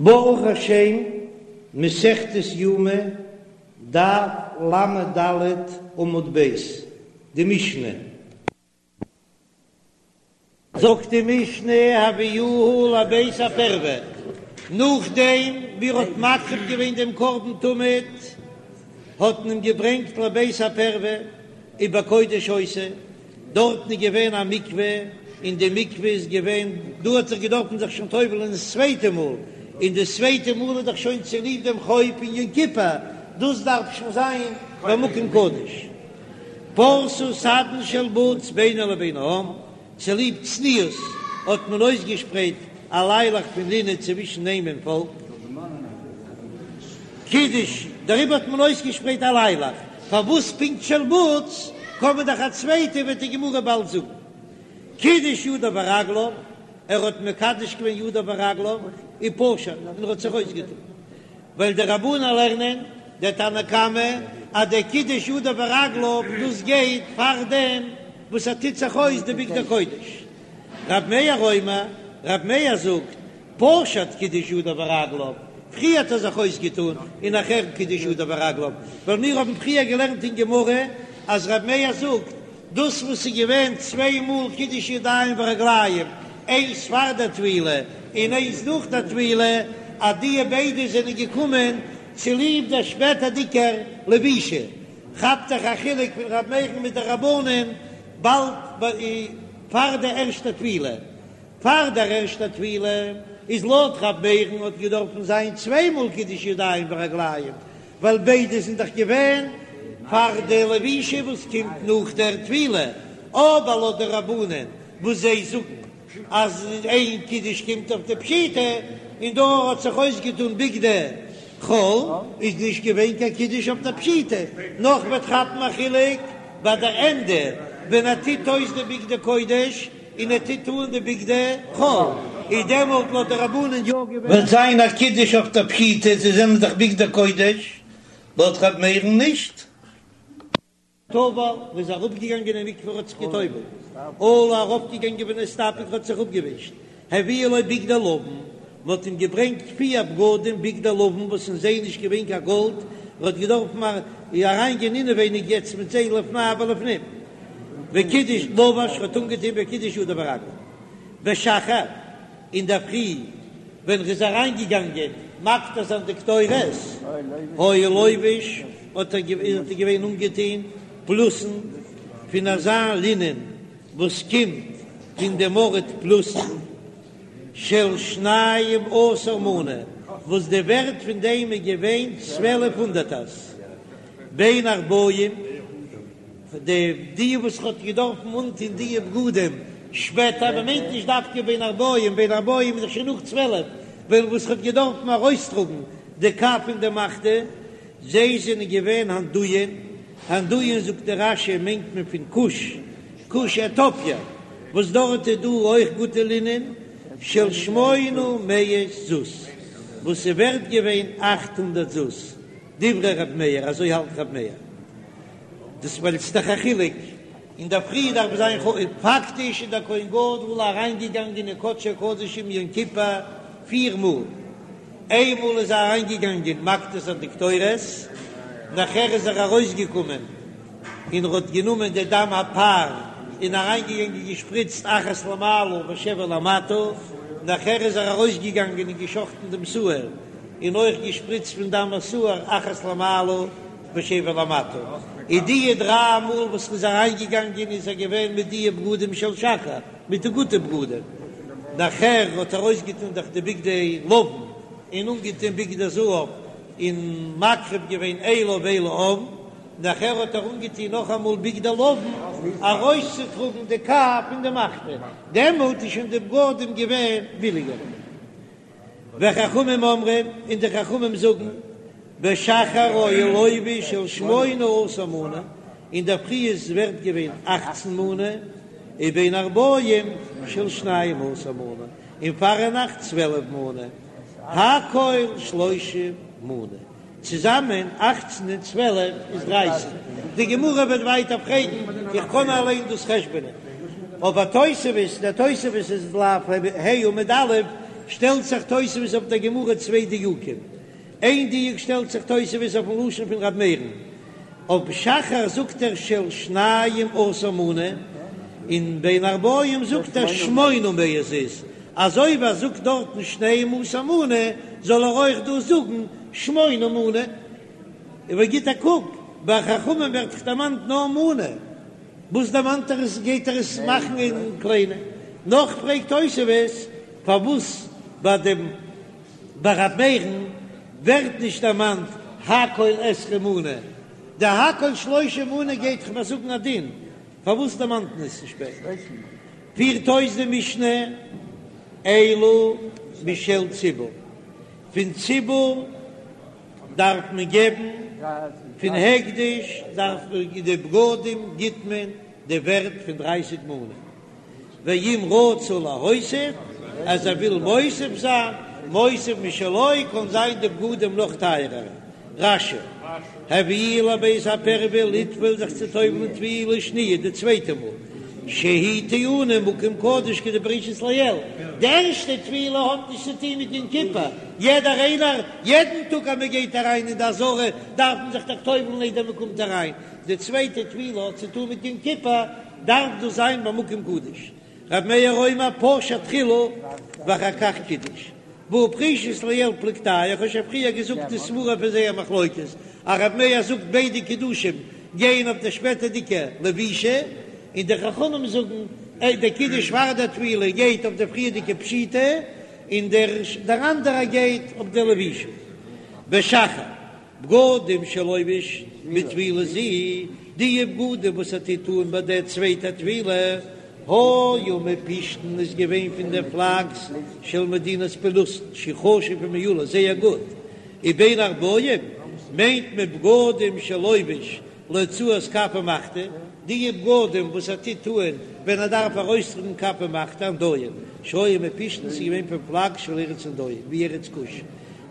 ברוך השם, מסכת יומא, דף ל"ד עמוד ב', די משנה. זאגט די משנה הביאוהו לבית הפרווה, נאכדעם ווי ער האט מקריב געווען דעם קרבן תמיד, האט מען אים געברענגט לבית הפרווה, ובקודש היתה, דארטן איז געווען א מקווה, און די מקווה איז געווען, דא האט זיך געדארפן זיך שוין טובל'ען דאס צווייטע מאל, און דאס צווייטע מאל איז דאך שוין צוליב דעם חוב פון יום כיפור, דאס דארף שוין זיין במקום קדוש. פרסו סדין של בוץ בינו לבין העם, צוליב צניעות האט מען אויסגעשפרייט א ליילעך פון לינען צווישן אים און פאלק. קידש, דעריבער האט מען אויסגעשפרייט א ליילעך, פארוואס פונקט של בוץ, קען מען דאך א צווייטע וועט די גמרא באלד זאגן. קידש ידיו ורגליו, ער האט מקדש געווען ידיו ורגליו, ופשט, און ער האט זיך אויסגעטון. ווייל די רבנן לערנען, דער תנא קמא, אז דער קידוש ידיו ורגליו דאס גייט פאר דעם וואס ער טוט זיך אויס די בגדי קודש. רב מאיר אומר, רב מאיר זאגט, פשט קידש ידיו ורגליו, פריער האט ער זיך אויסגעטון און נאכער קידש ידיו ורגליו, ווייל מיר האבן פריער געלערנט אין גמרא אז רב מאיר זאגט, דאס וואס איז געווען צוויי מאל קידוש ידיים ורגליים, איינס פאר דער טבילה און איינס נאך דער טבילה, אז די ביידע זענען געקומען צוליב דער שפעטערדיגער לבישה, כאפט זיך א חילוק פון ר' מאיר'ן מיט די רבנן באלד פאר דער ערשטער טבילה. פאר דער ערשטער טבילה איז לויט ר' מאיר'ן האט געדארפן זיין צוויי מאל קידוש ידיים ורגליים, ווייל ביידע זענען דאך געווען פאר די לבישה וואס קומט נאך דער טבילה, אבער לויט די רבנן וואס זיי זאגן אז איין קידוש קומט אויף די פשיטה, און דא האט זיך אויסגעטון בגדי חול, איז נישט געווען קיין קידוש אויף די פשיטה, נאך וועט כאפן א חילוק ביי דער ענדע ווען ער טוט אויס די בגדי קודש און ער טוט אן די בגדי חול, איז דעמאלט לויט די רבנן יא געווען. וועט זיין א קידוש אויף די פשיטה, זיי זענען דאך בגדי קודש, לויט ר' מאיר'ן נישט. טבל, ער איז אראפגעגאנגען אין מקווה האט זיך געטובלט, עלה ארויפגעגאנגען ונסתפג האט זיך אפגעווישט, הביאו לו בגדי לבן, מען האט אים געברענגט פיר בגדים בגדי לבן וואס אין זיי נישט געווען קיין גאלד, ער האט געדארפן אריינגיין אינעווייניג יעצט מיט זיי לפני ולפנים. וקידש לבש האט אנגעטון וקידש ידיו ורגליו בשחר אינדערפרי ווען ר'איז אריינגעגאנגען מקטיר זיין די קטורת היה לובש האט ער געווען אנגעטון פלוסין פון אזא לינען וואס קומט פון דעם ארט פלוסין של שנים עשר מנה וואס די ווערט פון דעם איז געווען צוועלף הונדערטערס בין הערבים. די די וואס האט געדארפן אנטון די בגדים שפעטער, מען מיינט נישט דווקא בין הערבים, בין הערבים איז דאך שוין נאך צוועלף, ווען וואס האט געדארפן ארויסטראגן די כף און די מחתה, זיי זענען געווען הנדויין, הנדויין זאגט דער רש"י מיינט מען פון כוש, כוש עטיאפיע, וואס דארט איז דא אויך גוטע לינען, של שמונה מאות זוז, וואס איז ווערט געווען אכט הונדערט זוז, דברי ר' מאיר, אזוי האלט ר' מאיר. דאס ווייל ס'איז דאך א חילוק, אינדערפרי דארף זיין ח פאקטיש איז דער כהן גדול אריינגעגאנגען אין קדשי קדשים יום כיפור פיר מאל, איינמאל איז ער אריינגעגאנגען מקטיר זיין די קטורת, נאכער איז ער ארויסגעקומען און ער האט גענומען די דם הפר און אריינגעגאנגען געשפריצט אחת למעלה ושבע למטה, נאכער איז ער ארויסגעגאנגען און געשחטן דעם שעיר און אויך געשפריצט פון דם השעיר אחת למעלה. ושבע למטה, איז דיע דריי מאל וואס ר'איז אריין געגאנגען איז ער געווען מיט דיע בגדים של שחר, מיט די גוטע בגדים, נאכער האט ער אויסגעטון דאך די בגדי לבן און אנגעטון בגדי זהב און מקריב געווען אילה ואילי העם, נאכער האט ער אנגעטון נאכאמאל בגדי לבן ארויסצוטראגן די כף און די מחתה, דעמאלט איז שוין די בגדים געווען ביליגער. וחכמים אומרים, און די חכמים זאגן, בשחר היה לובש של שמונה עשר מנה, אינדערפרי איז ווערט געווען אכצן מנה, ובין הערבים של שנים עשר מנה, און פארנאכט צוועלף מנה, הכל שלושים מנה. צוזאמען אכצן און צוועלף איז דרייסיג. די גמרא וועט ווייטער פרעגן, איך קען אליין דאס חשבונ'ען. אבער תוספות, דער תוספות איז דף ה' עמוד א', שטעלט זיך תוספות אויף דער גמרא צוויי דיוקים, איין דיוק שטעלט זיך תוספות אויפן לשון פון ר' מאיר'ן, אויף שחר זאגט ער של שניים עשר מנה, און בין הערבים זאגט ער שמונה מאות זוז, אזוי ווי ער זאגט דארטן שנים עשר מנה זאל ער אויך דא זאגן שמונה מנה. אבער גיט א קוק, ביי חכמים ווערט דאך דערמאנט נאר מנה, וואס דערמאנט ער עס גייט ער עס מאכן אין קליינע? נאך פרעגט תוספות פארוואס ביי דעם ביי ר' מאיר'ן ווערט נישט דערמאנט הכל עשרים מנה, די הכל שלושים מנה גייט דאך מיר זאגן א דין, פארוואס דערמאנט מען עס נישט שפעטער? פירט אויס די משנה אלו משל ציבור, פון ציבור דארף מען געבן, פון הקדש דארף מען די בגדים גיט מען די ווערט פון דרייסיג מנה. ואם רצה להוסיף, אז ער וויל מוסיף זיין, מוסיף משלו, קען זיין די בגדים נאך טייערער. רש"י, הביאוהו לבית הפרווה לטבול זיך צו טובל'ן טבילה שניה די צווייטע מאל, שהיא טעונה מקום קדוש כדפרישית לעיל, די ערשטע טבילה האט נישט צו טון מיט יום כיפור, יעדער איינער, יעדן טאג אז מען גייט אריין אין די עזרה דארף מען זיך דאך טובל'ן איידער מען קומט אריין, די צווייטע טבילה האט צו טון מיט יום כיפור, דארף דאס זיין במקום קדוש. ר' מאיר אומר פשט תחילה ואחר כך קידש. והא פרישית לעיל פלוגתייהו, איך האב שוין פריער געזאגט די סברה פון זייער מחלוקת, אז ר' מאיר זאגט ביידע קידושים גייען אויף די שפעטערדיגע לבישה, און די חכמים זאגן דער קידוש פאר דער טבילה גייט אויף די פריערדיגע פשיטה, און דער אנדערער גייט אויף די לבישה. בשחר. בגדים שלובש בטבילה זו, די בגדים וואס ער טוט אן ביי דער צווייטער טבילה, היו מפשתן איז געווען פון די פלאקס של מדינת פלוסטן שהוא חשוב ומעולה זייער גוט, ובין הערבים מיינט מען בגדים שלובש להוצאת כף ומחתה, די בגדים וואס ער טוט אן ווען ער דארף ארויסטראגן כף ומחתה הנדיים שהיו מפשתן ס'איז געווען פון פלאקס של ארץ הנדיים ווי ארץ כוש.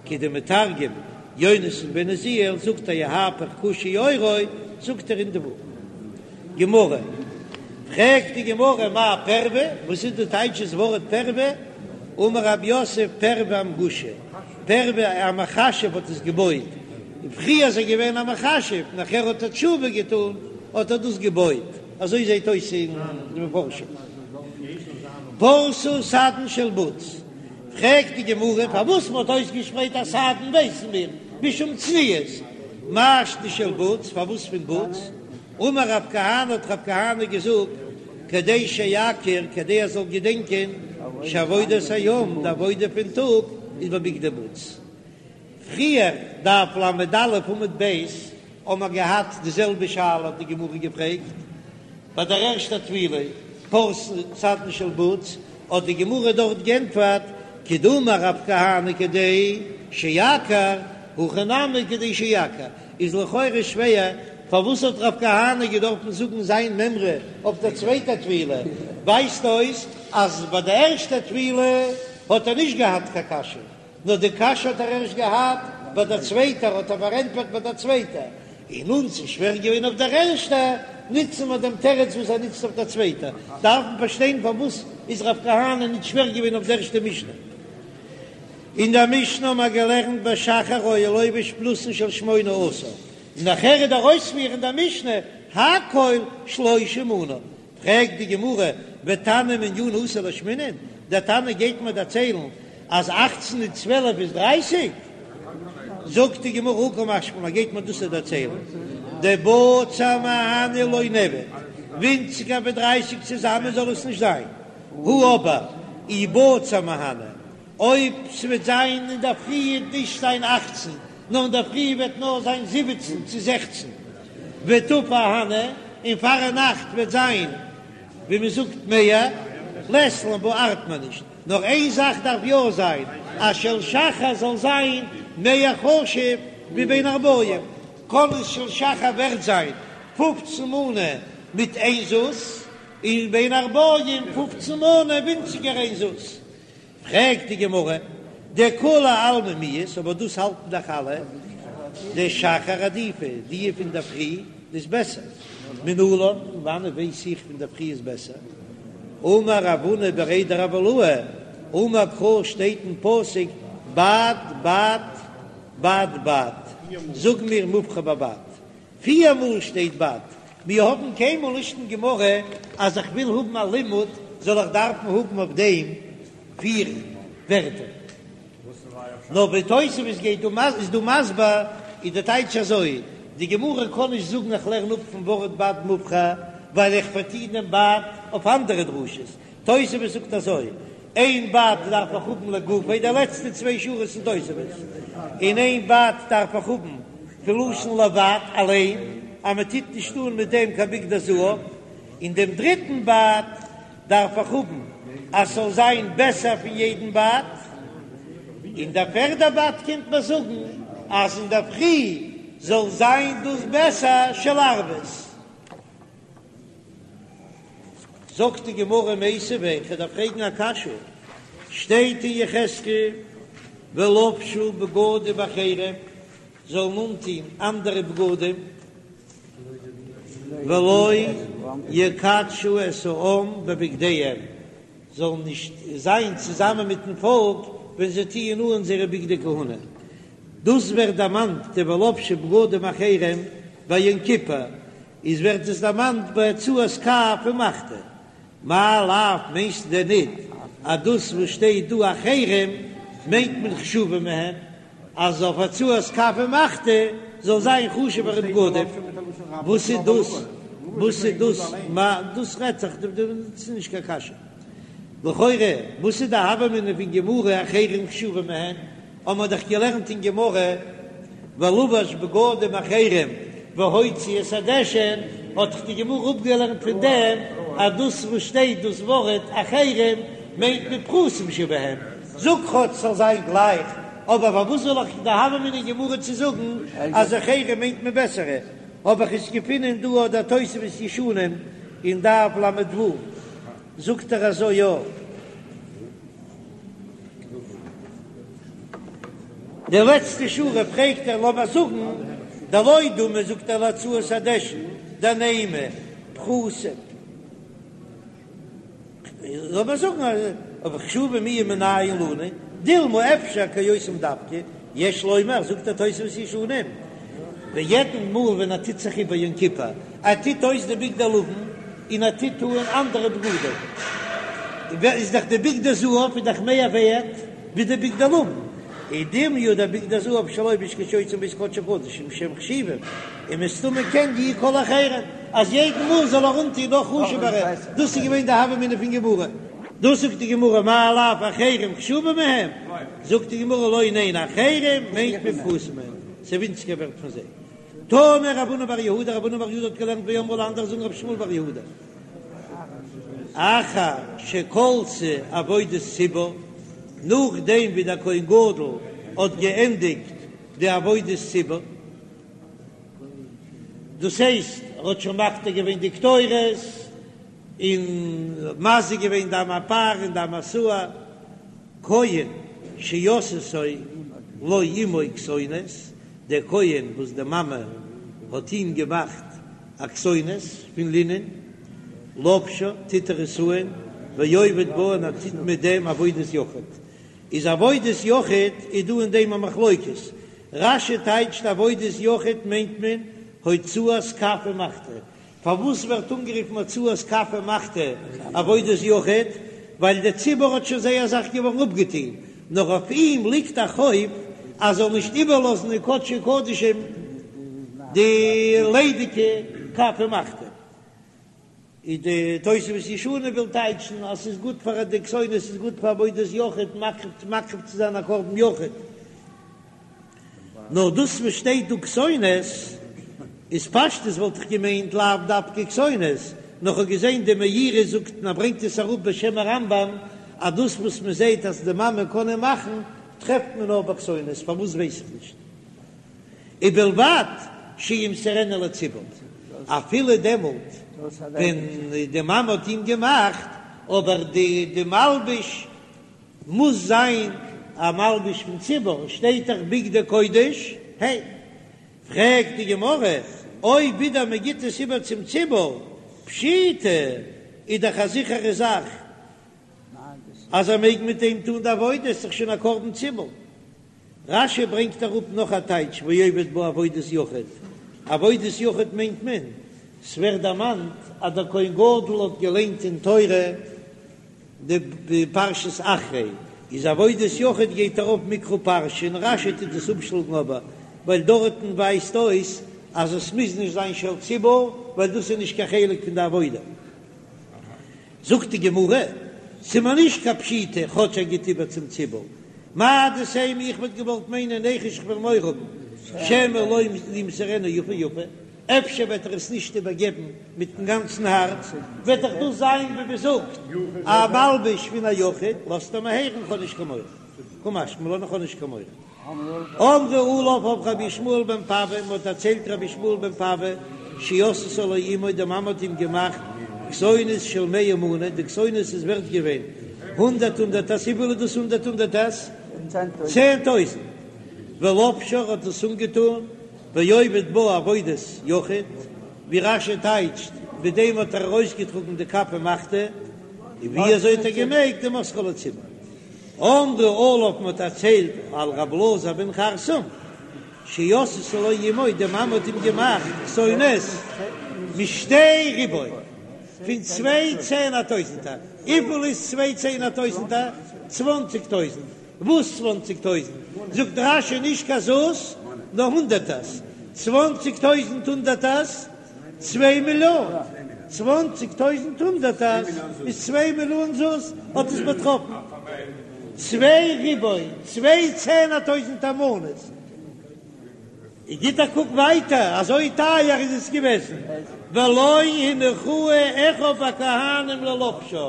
כדמתרגם יונתן בן עוזיאל זאגט ויהפך כושי עורו זאגט ער אינדבא. גמרא, פרעגט די גמרא מאי פרווה, וואס איז די טייטש דאס ווארט פרווה? אמר רב יוסף פרווה אמגושא, פרווה א מכשף האט עס געבויט, פריער איז ער געווען א מכשף נאכער האט ער תשובה געטון האט ער דאס געבויט, אזוי זעט אויס אין די מפרשים. פרשו סדין של בוץ. פרעגט די גמרא פארוואס מען האט אויסגעשפרייט א סדין ווייסן מיר משום צניעות, מאי שנא של בוץ פארוואס פון בוץ? אמר רב כהנא האט רב כהנא געזאגט כדי שיכיר כדי ער זאל געדענקען שעבודת היום די עבודה פון טאג איז בבגדי בוץ. פריער, דף ל"א עמוד ב', האבן מיר געהאט די זעלבע שאלה האט די גמרא געפרעגט ביי דער ערשטער טבילה פרשו סדין של בוץ, האט די גמרא דארט גענטפערט כדאמר רב כהנא כדי שיכיר, הכא נמי כדי שיכיר, איז לכאורה שווער פארוואס האט רב כהנא געדארפן זאגן זיין מימרא אויף דער צווייטער טבילה, ווייזט אויס אז ביי די ערשטע טבילה האט ער נישט געהאט קיין קשיא. נאר די קשיא האט ער ערשט געהאט ביי דער צווייטער, האט ער פארענטפערט ביי דער צווייטער, און אונז איז שווער געווען אויף דער ערשטער, נוצן מיר דעם תירוץ וואס ער נוצט אויף דער צווייטער, דארף מען פארשטיין פארוואס איז רב כהנא נישט שווער געווען אויף דער ערשטע משנה. אין דער משנה האבן מיר געלערנט בשחר היה לובש פלוסין של שמונה עשר, און נאכער איז דער אויספיר אין דער משנה הכל שלושים מנה, פרעגט די גמרא, ותנא מנינא אתא לאשמועינן, דער תנא גייט מיר דערציילן אז אכצן און צוועלף איז דרייסיג? זאגט די גמרא, הא קא משמע לן, גייט מיר דאס דערציילן, דבצר מהני לא נעביד, ווינציגער ווי דרייסיג צוזאמען זאל עס נישט זיין, הא אבער אי בצר מהני, אויב ס'וועט זיין אינדערפרי וועט נישט זיין אכצן, נאר אינדערפרי וועט נאר זיין זיבעצן צו זעכצן, וטפי אהני, און פארנאכט וועט זיין ווי מען זאגט מער, לית לן בה ארט מען נישט, נאר איין זאך דארף יא זיין, אז של שחר זאל זיין מער חשוב ווי בין הערבים, קען עס של שחר ווערט זיין פופצן מנה מיט איין זוז, און בין הערבים פופצן מנה ווינציגער איין זוז. פרעגט די גמרא, דכולי עלמא מיהת, אבער דאס האלטן דאך אלע, דשחר עדיפא, די פון דער פרי איז בעסער, מנלן, פון וואנעט ווייס איך פון דער פרי איז בעסער? אמר רב הונא בריה דרב עילאי. אמר קרא שטייט אין פסוק בד בד בד בד, זאג מיר מובחר בבד, פיר מאל שטייט בד, מיר האבן קיינמאל נישט אין גמרא אז איך וויל האבן א לימוד זאל איך דארפן האבן אויף דעם פיר ווערטער. נאר ווי תוספות גייט דא איז דא מסביר איז די טייטש אזוי, די גמרא קען נישט זאגן איך לערן אפ פון ווארט בד מובחר ווייל איך פארטו דעם בד אויף אנדערע דרשות, תוספות זאגט אזוי, איין בד דארף איך האבן לגופו, די לעצטע צוויי שורות אין תוספות, און איין בד דארף איך האבן פון לשון לבד אליין אז מען טוט נישט אן מיט דעם קיין בגדי זהב, און דעם דריטן בד דארף איך האבן אז ס'זאל זיין בעסער פון יעדן בד, און דער פערדע בד קומט מיר זאגן אז אינדערפרי זאל זיין דאס בעסער של ערבית. זאגט די גמרא מיתיבי, כ'דארף פרעגן א קשיא, שטייט אין יחזקאל ולבשו בגדים אחרים, זאלן אנטוהן אנדערע בגדים, ולא יקדשו את העם בבגדיהם, זאלן נישט זיין צוזאמען מיטן פאלק ווען זיי טוען אן זייערע בגדי כהונה. דאס ווערט דערמאנט די ולבשו בגדים אחרים ביי יום כיפור, איז ווערט עס דערמאנט ביי הוצאת כף ומחתה. מאי לאו מיינסטו דען ניט אז דאס וואס שטייט דא אחרים מיינט מען חשובים מהם, אז אויף הוצאת כף ומחתה זאל זיין חשוב'ערע בגדים, וואס איז דאס? וואס איז דאס? מה דאס רעדט זיך? דאס איז נישט קיין קשיא. לכאורה וואס איז די הוה אמינא פון גמרא אחרים חשובים מהן? האבן מיר דאך געלערנט אין גמרא ולבש בגדים אחרים והוציא את הדשן, האט דאך די גמרא אפגעלערנט פון דעם אז דאס וואס שטייט דאס ווארט אחרים מיינט מען פחותים שבהם, זאג כאטש ס'זאל זיין גלייך, אבער פארוואס זאל איך די הוה אמינא אין גמרא צו זאגן אז אחרים מיינט מען בעסערע? האב איך עס געפונען דא אט דער תוספות ישנים אין דף ל"ו זאגט ער אזוי יא. די לעצטע שורה פרעגט ער לאמער זאגן דלא דמי זאגט ער להוצאת הדשן דנימא פחותים. לאמיר זאגן אז חשובים מיהו מנין לנו, דילמא אפשר כאותם דווקא, יש לומר, זאגט דער תוספות ישנים, ווי יעדן מאל ווען ער טוט זיך איבער יום כיפור, ער טוט אויס די בגדי לבן און ער טוט אן אנדערע בגדים, איז דאך די בגדי זהב איז דאך מער ווערט ווי די בגדי לבן, ודומיא דבגדי זהב שלובש כשיוצא מבית קדשי קדשים שהם חשובים, און מסתמא כן יהו כל האחרים אז יעדן מאל זאל ער אנטוהן נאך חשוב'ערע, דאס איז געווען די הוה אמינא פון גמרא. דאס זאגט די גמרא מאי לאו אחרים חשובים מהם, זאגט די גמרא לא ניין אחרים מיינט מען פחותים מהם, ס'איז ווינציגער ווערט פון זיי. תנא רב הונא בר יהודה, רב הונא בר יהודה האט געלערנט ואמרי לה אנדערע זאגן רבי ישמעאל בר יהודה, אחר שכלתה עבודת ציבור, נאכדעם ווי דער כהן גדול האט געענדיגט די עבודת ציבור, דאס הייסט ער האט שוין מקטיר געווען די קטורת און מזה געווען דם הפר און דם השעיר, כהן שעשתה לו אמו כתונת, דער כהן וואס די מאמע האט אים געמאכט א כתונת פון לינען, לובשה, טוט ער עס אן, ועובד בה און ער טוט מיט דעם עבודת יחיד. איז עבודת יחיד איז דא אין דעם א מחלוקת, רש"י טייטשט עבודת יחיד מיינט מען הוצאת כף ומחתה, פארוואס ווערט אנגערופן הוצאת כף ומחתה עבודת יחיד? ווייל דער ציבור האט שוין זייער זאך געווארן אפגעטון, נאר אויף אים ליגט א חוב אז זאל נישט איבערלאזן אין קדשי קדשים די ליידיגע כף ומחתה. איז די תוספות ישנים וויל טייטשן אז ס'איז גוט פאר די כתונת איז גוט פאר עבודת יחיד מקריב מקריב צו זיין א קרבן יחיד, נאר דאס וואס שטייט דא כתונת איז פשטות וואלט איך געמיינט לאו דווקא כתונת, נאר כ'האב געזען די מאירי זאגט און ער ברענגט עס אראפ בשם הרמב"ם אז דאס וואס מ'זעט אז די מאמע קען אים מאכן טרעפט מען נאר ביי כתונת, פארוואס ווייס איך נישט. ובלבד שימסרנה לציבור, אפילו דעמאלט ווען די מאמע האט אים געמאכט, אבער די די מלבוש מוז זיין א מלבוש פון ציבור, שטייט דאך בגדי קודש הן. פרעגט די גמרא, אויב ווידער מען גיט עס איבער צום ציבור, פשיטא, איז דאך א זיכערע זאך. אז ער מעג מיט דעם טון די עבודה, איז דאך שוין א קרבן ציבור. רש"י ברענגט אראפ נאך א טייטש ועובד בה עבודת יחיד, עבודת יחיד מיינט מען, ס'ווערט דערמאנט אז דער כהן גדול האט געליינט אין תורה די פרשת אחרי, איז עבודת יחיד גייט ארויף מקרא פרשה און רש"י טוט עס אפשלאגן אבער ווייל דארטן ווייזט אויס אז עס מוז נישט זיין של ציבור ווייל דאס איז נישט קיין חלק פון די עבודה. זאגט די גמרא, ס'איז מיר נישט קיין פשיטא כאטש ער גיט איבער צום ציבור, מהו דתימא איך וואלט געוואלט מיינען ניחוש כ'וועל מורא האבן שמא לא ימסרנה יפה יפה, אפשר וועט ער עס נישט איבערגעבן מיטן גאנצן הארץ, וועט דאך דאס זיין ווי מ'זאגט א מלבוש פון א יחיד, לאזט ער מיר הערן כ'האב נישט קיין מורא, קא משמע לן איך האב נישט קיין מורא. אמרו עליו אויף רבי ישמעאל בן פאווע, מען האט דערציילט רבי ישמעאל בן פאווע, שעשתה לו אמו, די מאמע האט אים געמאכט כתונת של מאה מנה, די כתונת איז ווערט געווען הונדערט הונדערטערס, וויפיל איז דאס הונדערט הונדערטערס? 10,000, ולבשה האט עס אנגעטון, ועובד בה עבודת יחיד, ווי רש"י טייטשט, מיט דעם האט ער ארויסגעטראגן די כף ומחתה, און ווי אזוי האט ער געמעגט ומוסרה לציבור. אמרו עליו מען האט דערציילט על רב אלעזר בן חרסום שעשתה לו אמו די מאמע האט אים געמאכט כתונת משתי ריבוא פון צוויי צענער טויזענטער, וויפיל איז צוויי צענער טויזענטער? צוואנציג טויזענט, וואס צוואנציג טויזענט? זאגט רש"י נישט קיין זוז נאר הונדערטערס, צוואנציג טויזענט הונדערטערס צוויי מיליאן, צוואנציג טויזנט הונדערטערס איז צוויי מיליאן זוז, האט עס באטראפן צוויי ריבוא, צוויי צענער טויזנטער מנות. גיט א קוק ווייטער, אזוי טייער איז עס געוועזן, ולא הניחוהו אחיו הכהנים ללובשה,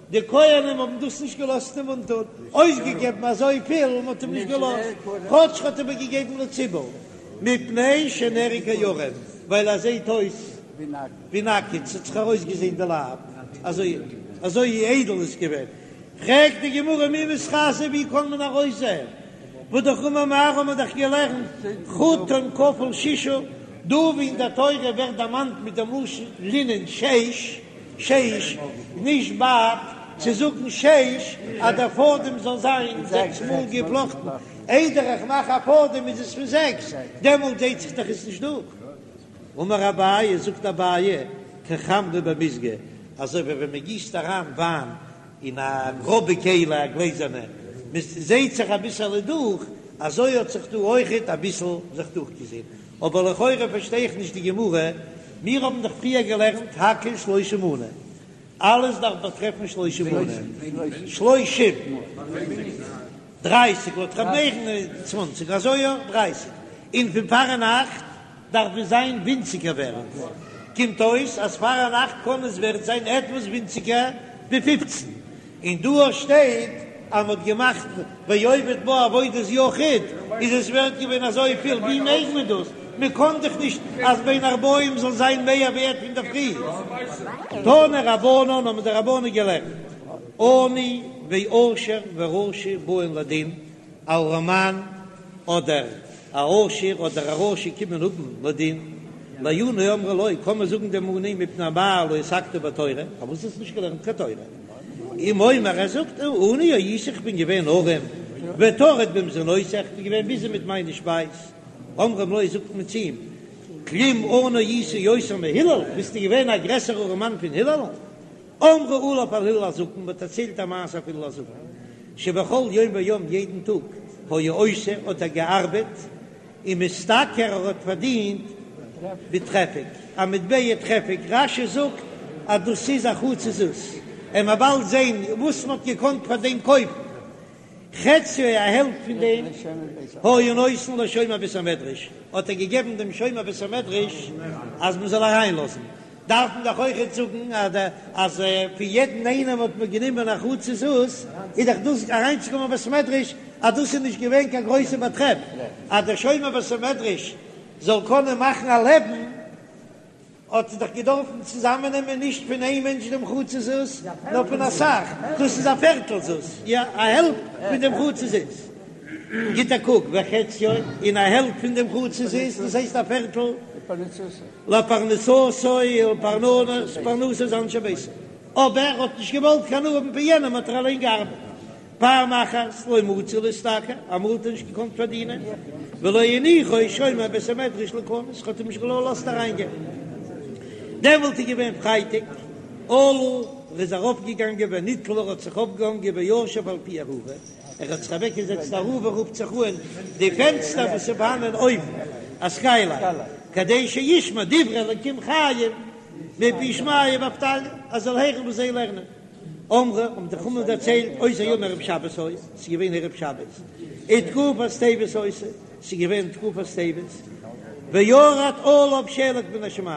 די כהנים האבן דאס נישט געלאזט אים אנטון, אויסגעגעבן אזויפיל, מען האט אים נישט געלאזט, כאטש האט ער איבערגעגעבן לציבור, מפני שנראה כערום, ווייל ער זעט אויס ווי נאקעט, ס'האט זיך ארויסגעזען די לייב, אזוי אזוי איידל איז געווען. פרעגט די גמרא מי מתחזי, ווי קען מען ארויסזען, והאמר מר האבן מיר דאך געלערנט חוטן כפול ששה, דא ווי אין דער תורה ווערט דערמאנט מיט דעם לשון לינען שש, שש, נישט בד, צו זאגן שש אז דער פאדעם זאל זיין זעקס מאל געפלאכטן, איידער איך מאך א פאדעם איז עס פון זעקס, דעמאלט זעט זיך דאך עס נישט דורך. אמר אביי, זאגט אביי, כחמרא במיזגא, אזוי ווי ווען מען גיסט אריין וויין אין א גראבע כלי, א גלעזערנע, מען זעט זיך אביסעלע דורך, אזוי האט זיך דא אויכעט אביסל זיך דורכגעזען. אבער לכאורה פארשטיי איך נישט די גמרא, מיר האבן דאך פריער געלערנט הכל שלושים מנה, אלעס דארף באטרעפן שלושים מנה, שלושים, דרייסיג לויט ר' מאיר'ן צוואנציג, אזוי יא דרייסיג, און פון פארנאכט דארף עס זיין ווינציגער ווערט, קומט אויס אז פארנאכט קען עס ווערט זיין עטוואס ווינציגער ווי פופצן, און דא שטייט אז מ'האט געמאכט ועובד בה עבודת יחיד, איז עס ווערט געווען אזויפיל, ווי מעג מען דאס? מען קען דאך נישט אז בין הערבים זאל זיין מער ווערט פון דער פרי. תנו רבנן האבן די רבנן געלערנט, עני ועשיר ורשע באין לדין, א ארעמאן אדער א עשיר אדער א רשע קומען האבן לדין, לעני אומרים לו, קען מען זאגן דעם עני מפני מה לא עסקת בתורה, פארוואס האסטו נישט געלערנט קיין תורה? אם אומר ער זאגט עני הייתי איך בין געווען ארעם, וטרוד במזונותי איך בין געווען ביזי מיט מיינע שפייז, אומרים לו זאגט מען צו אים, כלום עני היית יותר מהלל, ביסטו געווען א גרעסערע ארעמאן פון הלל? אמרו עליו על הלל הזקן, מען האט דערציילט א מעשה אויף הלל הזקן, שבכל יום ויום יעדן טאג היה עושה האט ער געארבעט, ומשתכר ער האט פארדינט בטרפק, א מטבע טרפק, רש"י זאגט אז דאס איז א חצי זוז, עמיר באלד זען וואס מען האט געקאנט פאר דעם קויפן. חציו א העלפט פון דעם היה נותן לשומר בית המדרש, האט ער געגעבן דעם שומר בית המדרש אז מען זאל אריינלאזן, דארף מען דאך אויכעט זאגן אז פון יעדן איינעם האט מען גענומען א חצי זוז, איז דאך דאס אריינצוקומען אין בית המדרש אז דאס איז נישט געווען קיין גרויסע באטרעף אז דער שומר בית המדרש זאל קענען מאכן א לעבן. האט ער דאך געדארפן צוזאמענעמען נישט פון איין מענטש דעם חצי זוז, נאר פון אסאך, דאס איז א פערטל זוז, יא, א העלפט פון דעם חצי זוז. גיט א קוק, וחציו, און א העלפט פון דעם חצי זוז, דאס הייסט א פערטל, לפרנסתו ולפרנסת אנשי ביתו. אבער ער האט נישט געוואלט קיין הנאה האבן פון יענעם, האט ער אליין געארבעט. פעם אחת לא מצי להשתכר, אמאל האט ער נישט געקאנט פארדינען, ולא הניחו שומר בית המדרש ליכנס, האט אים נישט געלאזט אריינגיין. דעמאלט איז געווען פרייטאג, עלה, ער איז ארויפגעגאנגען ונתלה, ער האט זיך אויפגעהאנגען וישב על פי ארובה, ער האט זיך אוועקגעזעצט ארובה רופט זיך אן די פענסטער וואס איז פארהאנען אויבן, א סקיילייט, כדי שישמע דברי אלקים חיים מפי שמעיה ואבטליון, ער זאל הערן וואס זיי לערנען. אמרו, האבן די חכמים דערציילט, אותו היום ערב שבת היה, ס'איז געווען ערב שבת, ותקופת טבת היתה, ס'איז געווען תקופת טבת, וירד עליו שלג מן השמים,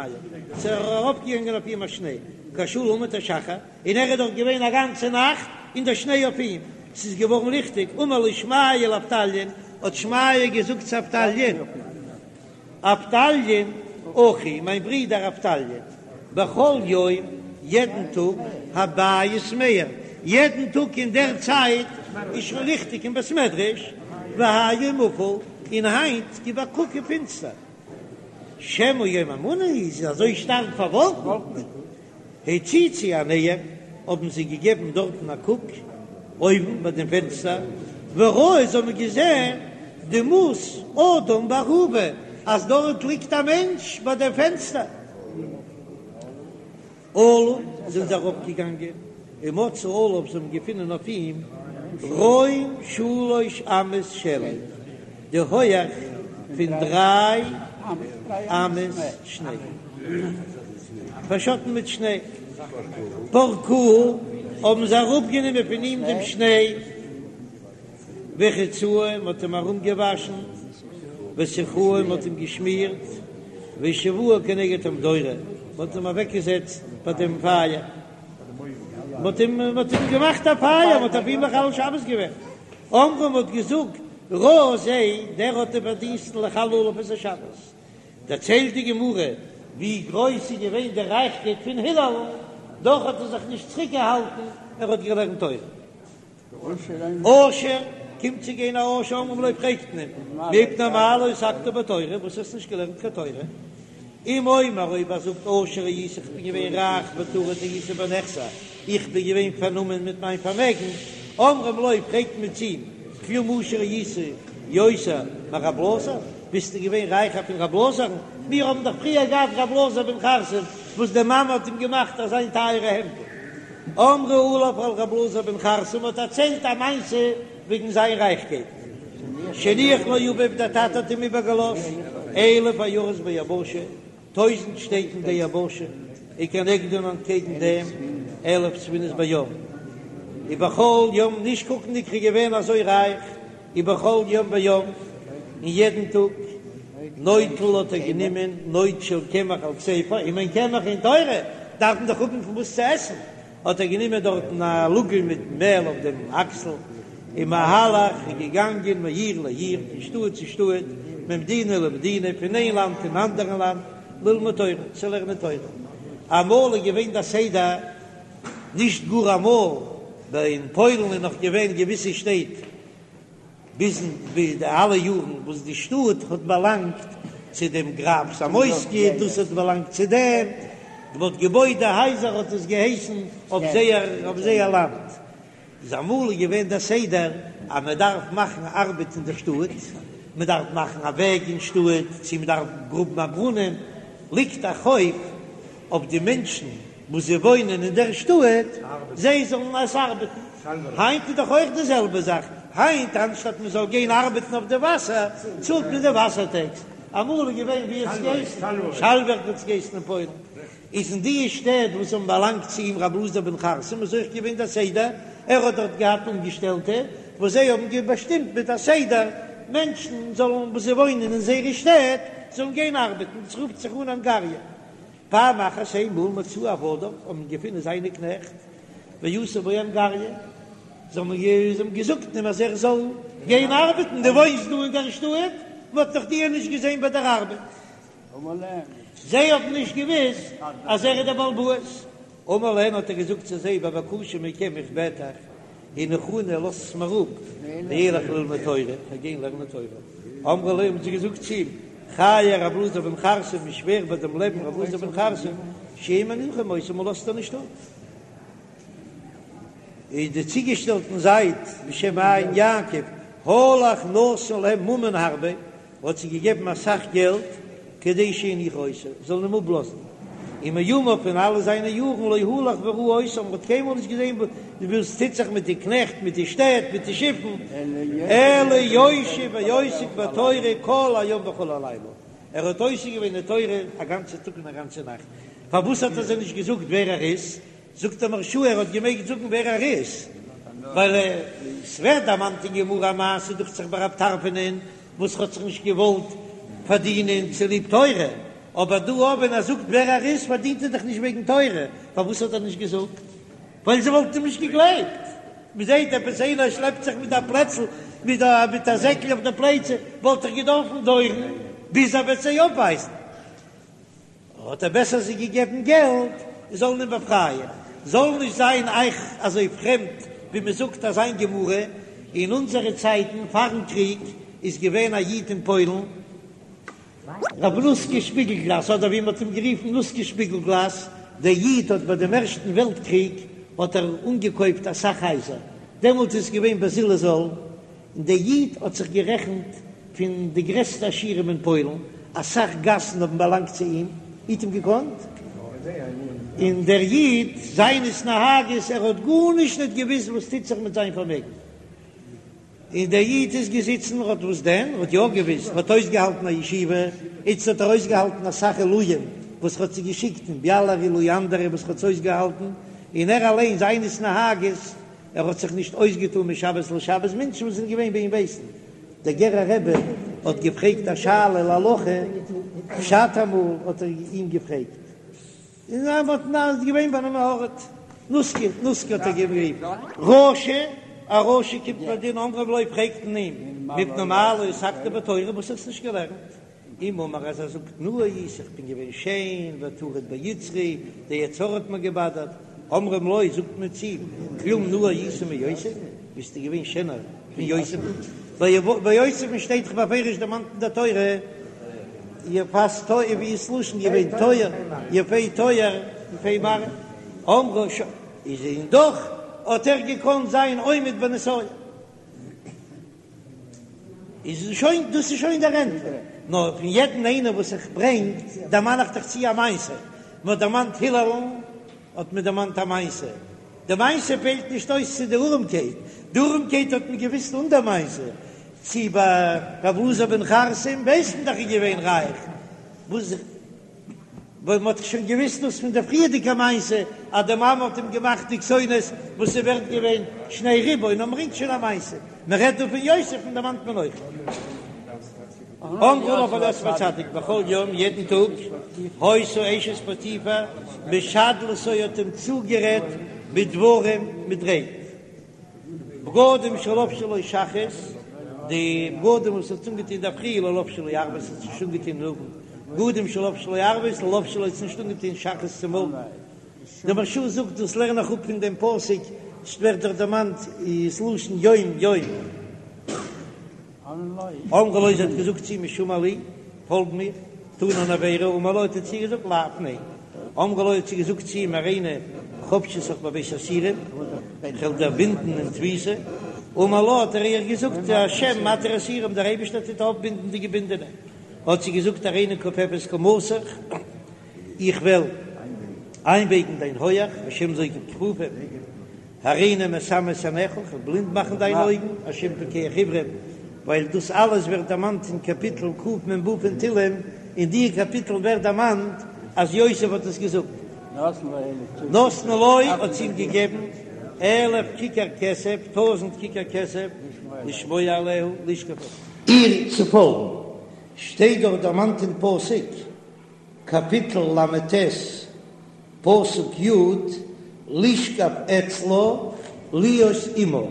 ס'איז אראפגעגאנגען אויף אים א שניי, כשעלה עמוד השחר, און ער איז דארט געווען א גאנצע נאכט, און דער שניי אויף אים, ס'איז געווארן ליכטיג, אמר לו שמעיה לאבטליון, האט שמעיה געזאגט צו אבטליון, אבטליון אחי, מיין ברודער אבטליון, בכל יום, יעדן טאג, הבית מאיר, יעדן טאג אין דער צייט איז שוין ליכטיג אין בית מדרש, והיום אפל, און היינט גיב א קוק איז פינסטער. שמא יום אמנה הוא, איז אזוי שטארק פארוואלקנט. הציצו עיניהם, האבן זיי געגעבן דארטן א קוק אויבן ביי דעם פענסטער, וראו, זיי האבן געזען דמות אדם בארובה, אז דארט ליגט א מענטש ביי דעם פענסטער. עלו, זענען זיי ארויפגעגאנגען, ומצאו עליו, זיי האבן געפונען אויף אים רום שלש אמות שלג, די הויעך פון דריי אמות שניי. פארשאטן מיט שניי. פרקוה, האבן זיי אראפגענומען פון אים דעם שניי, ורחצוהו, מען האט אים ארומגעוואשן, וסכוהו, מען האט אים געשמירט, והושיבוהו כנגד המדורה, מען האט אים אוועקגעזעצט ביי דעם פייער, מען האט אים, מען האט אים געמאכט א פייער, מען האט אויף אים מחלל שבת געווען. אמרו, מען האט געזאגט, ראוי זה, דער האט די פארדינסטן לחלל עליו את השבת. דערציילט די גמרא ווי גרויס איז געווען די רייכקייט פון הלל, דאך האט ער זיך נישט צוריק געהאלטן, ער האט געלערנט תורה. עושר, קומט צו גיין א עושר אומרים לו פרעגט מען אים, מפני מה לא עסקת בתורה, וואס האסט נישט געלערנט קיין תורה? אם אומר אויב ער זאגט עושר הייתי איך בין געווען רייך וטרוד הייתי בנכסי, איך בין געווען פארנומען מיט מיין פארמעגן, אומרים לו פרעגט מען צו אים, כלום עשיר היית יותר מרב אלעזר, ביסטו געווען רייכער פון רב אלעזר'ן? מיר האבן דאך פריער געהאט רב אלעזר בן חרסום וואס די מאמע האט אים געמאכט אזיין טייערע העמדל. אמרו עליו על רב אלעזר בן חרסום האט דערציילט א מעשה וועגן זיין רייכקייט, שהניח לו אביו דער טאטע האט אים איבערגעלאזט אלף עיירות ביבשה, טויזנט שטעט אין די יבשה, וכנגדן אנטקעגן דעם אלף ספינות בים, ובכל יום נישט קוקנדיג ער איז געווען אזוי רייך, ובכל יום ויום, און יעדן טאג, נוטל האט ער גענומען נוד של קמח על כתפו, אם אין קמח אין תורה, דארף מען דאך האבן פון וואס צו עסן, האט ער גענומען דארטן א לאגל מיט מעל אויף דעם אקסל, ומהלך איז געגאנגען מעיר לעיר, פון שטאט צו שטאט, ממדינה למדינה, פון איין לאנד אין אנדערן לאנד, ללמוד תורה, צו לערנען תורה. אמאל איז געווען דער סדר, נישט גאר אמאל, אין פוילן איז נאך געווען געוויסע שטעט, ביזן ביז די אלע יארן וואס די שטאט האט באלאנגט צו דעם גראף זאמויסקי, דאס האט באלאנגט צו דעם, מען האט געבויט די הייזער האט עס געהייסן אויף זייער אויף זייער לאנד, איז אמאל איז געווען דער סדר אז מען דארף מאכן ארבעט אין דער שטאט, מען דארף מאכן א וועג אין שטאט, צו מען דארף גראבן א ברונעם, ליגט א חוב אויף די מענטשן וואס זיי וואוינען אין דער שטאט, זיי זאלן עס ארבעטן. היינט איז דאך אויך די זעלבע זאך, היינט אנשטאט מען זאל גיין ארבעטן אויף די וואסער, צאלט מען די וואסער טעקס. אמאל איז געווען ווי האט עס געהייסן? שאלווערק האט עס געהייסן אין פוילן. איז אין די שטעט וואס האבן באלאנגט צו אים רב אלעזר בן חרסום איז אויך געווען דער סדר, ער האט דארט געהאט אנגעשטעלטע וואס זיי האבן באשטימט מיט א סדר מענטשן זאלן וואס זיי וואוינען אין זייערע שטעט זאלן גיין ארבעטן, דאס רופט זיך אן אנגאריע. פעם אחת איינמאל מצאוהו עבדיו האבן געפונען זיינע קנעכט ועשו בו אנגריא, זיי האבן געזאגט אים אז ער זאל גיין ארבעטן, דו וואוינסט דא אין דער שטאט, מען האט נאך דיר נישט געזען ביי דער ארבעט. זיי האבן נישט געוואוסט אז ער איז דער בעל הבית. אמר להם האט ער געזאגט צו זיי בבקשה מכם איך בעט אייך, הניחוני לאזטס מיר אפ, ואלך ללמוד תורה, איך וועל גיין לערנען תורה. אמרו לו האבן זיי געזאגט צו אים, חיי רב אלעזר בן חרסום, איך שווער ביי דעם לעבן רב אלעזר בן חרסום, שאין מניחין אותו, מען לאזט אים נישט אפ. איז די צוגעשטעלטן זייט בשם עין יעקב, הלך נתן להם ממון הרבה, האט זיי געגעבן אסאך געלט כדי שיניחו אותו, זאלן אים אפלאזן, ומימיו פון אלע זיינע יארן לא הלך וראה אותם, מען האט קיינמאל נישט געזען וואס טוט זיך מיט די קנעכט, מיט די שטעט, מיט די שיפן, אלא יושב ועוסק בתורה כל היום וכל הלילה, ער האט עוסק געווען אין תורה א גאנצע טאג און א גאנצע נאכט, פארוואס האט ער זיי נישט געזאגט ווער ער איז? זאגט דער מהרש"א ער האט געמעגט זאגן ווער ער איז, ווייל עס ווערט דערמאנט אין גמרא א מעשה דוכט זיך ביי רב טרפונ'ען וואס האט זיך נישט געוואלט פארדינען צוליב תורה, אבער דא אויב ווען ער זאגט ווער ער איז פארדינט ער דאך נישט וועגן תורה, פארוואס האט ער נישט געזאגט? ווייל זיי וואלטן אים נישט געגלייבט, מען זעט עפעס איינער שלעפט זיך מיט א פלעצל מיט א מיט א זעקל אויף די פלייצע, וואלט דאך געדארפן דויערן ביז ער וועט זיי אויפווייזן. האט ער בעסער זיי געגעבן געלט זאלן אים באפרייען, זאל נישט זיין אייך אזוי פרעמד ווי מען זאגט אזא גמרא, אין אונזערע צייטן פארן קריג איז געווען א איד אין פוילן רב נוסקע שפיגלגלאס אדער ווי מען האט אים גערופן נוסקע שפיגלגלאס, דער איד האט ביי דעם ערשטן וועלט קריג האט ער אנגעקויפט אסאך הייזער, דעמאלט איז געווען בזיל הזול, און דער איד האט זיך גערעכנט פון די גרעסטע עשירים אין פוילן, אסאך גאסן האבן באלאנגט צו אים, איר האט אים געקאנט? און דער איד, זיין התנהגות, ער האט גארנישט ניט געוואוסט וואס טוט זיך מיט זיין פארמעגן, און דער איד איז געזיצן, ער האט וואס דען? ער האט יא געוואוסט, ער האט אויסגעהאלטן א ישיבה, איצט האט ער אויסגעהאלטן אסאך עילויים וואס ער האט זיי געשיקט אין ביאלער עילוי אנדערע וואס ער האט אויסגעהאלטן, און ער אליין זיין התנהגות, ער האט זיך נישט אויסגעטאן משבת לשבת, מענטשן וואס זענען געווען ביי אים ווייסן, דער גערער רבי האט געפרעגט א שאלה להלכה, פשט אמאל האט ער אים געפרעגט, און ער האט נאר געווען ביי אים ארט, נוסקי, נוסקי האט ער גערופן. רשע, א רשע קומט פאר דין אומרים לו פרעגט מען אים, מפני מה לא עסקת בתורה, וואס האסטו נישט געלערנט? אם אמר אז ער זאגט נאה הייתי איך בין געווען שיין וטרוד ביצרי, די יצר הרע האט מיר געבאדערט, אומרים לו זאגט מען צו אים, כלום נאה היית מיוסף, ביסטו געווען שענער פון יוסף'ן, ביי יוסף'ן שטייט דאך בפירוש דערמאנט אין דער תורה יפת תואר ווי איז לשון געווען תואר יפה תואר יפה מראה, אמרו ש איז און דאך האט ער געקאנט זיין עומד בנסיון. איז שוין, דאס איז שוין דער ענטפער. נאר פון יעדן איינער וואס איך ברענג, דערמאן איך דאך צו א מעשה. מען האט דערמאנט הילל'ן, האט מען דערמאנט א מעשה. די מעשה פעלט נישט אויס צו די ארעמקייט. די ארעמקייט האט מען געוואוסט אן דער מעשה. צו ביי רב אלעזר בן חרסום ווייסט מען דאך איז געווען רייך. וואס. ווייל מען האט שוין געוויסט דאס פון דער פריערדיגע מעשה אז די מאמע האט אים געמאכט די כתונת וואס איז ווערט געווען שני ריבוא און מען ברענגט שוין א מעשה, מען רעדט דא פון יוסף און דערמאנט מען אויך. אמרו עליו על יוסף הצדיק בכל יום יעדן טאג היתה אשת פוטיפר משדלתו האט אים צוגערעדט בדברים מיט רייד. בגדים שלבשה לו שחרית, די בגדים וואס האט אנגעטון אינדערפרי לא לבשה לו ערבית האט נישט אנגעטון אין אוונט, בגדים שלבשה לו ערבית לא לבשה לו האט נישט אנגעטון שחרית צו מארגן. דער מהרש"א זאגט דאס לערן איך אפ פון דעם פסוק, ס'ווערט דאך דערמאנט ס'לשון יום יום. אמרה לו זי האט געזאגט צו אים שמע לי, פאלג מיר, טון אן עבירה, אמר לה האט ער צו איר געזאגט לאו, ניין. אמרה לו האט זי געזאגט צו אים הריני חבשתך בבית האסורים, איך וועל דיר בינדן אין תפיסה, אמר לה האט ער איר געזאגט השם מתיר אסורים, דער אייבערשטער טוט אויפבינדן די געבינדענע, האט זי געזאגט הריני כופפת קומתך, איך וועל איינבייגן דיין הויעך, השם זוקף כפופים. הריני מסמא את עיניך, איך וועל בלינד מאכן דיינע אויגן, השם פוקח עיוורים, ווייל דאס אלעס ווערט דערמאנט אין קאפיטל קמ"ו פון תהלים, אין די קאפיטל ווערט דערמאנט אז יוסף האט עס געזאגט. נתנה לו האט זי אים געגעבן אלף כיכר כסף, טויזענט כיכר כסף, לשמוע אליה, לשכב איר צו פאלגן, שטייט דארט דערמאנט אין פסוק, קאפיטל ל"ט, פסוק י', לשכב אצלה להיות עמה,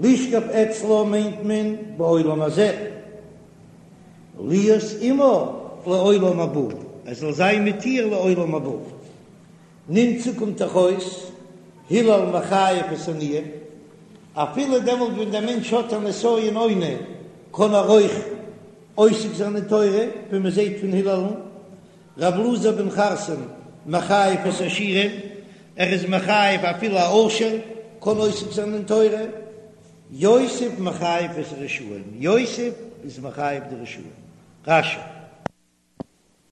לשכב אצלה מיינט מען בעולם הזה, להיות עמה לעולם הבא, ער זאל זיין מיט איר לעולם הבא. נמצא קומט דאך אויס, הלל מחייב את העניים, אפילו דעמאלט ווען דער מענטש האט א נסיון עוני קען ער אויך עוסק זיין אין תורה, ווי מען זעט פון הילל'ן, ר' אלעזר בן חרסום מחייב את העשירים, ער איז מחייב אפילו א עושר. קען עוסק זיין אין תורה, יוסף מחייב את הרשעים, יוסף איז מחייב די רשעים. רש"י.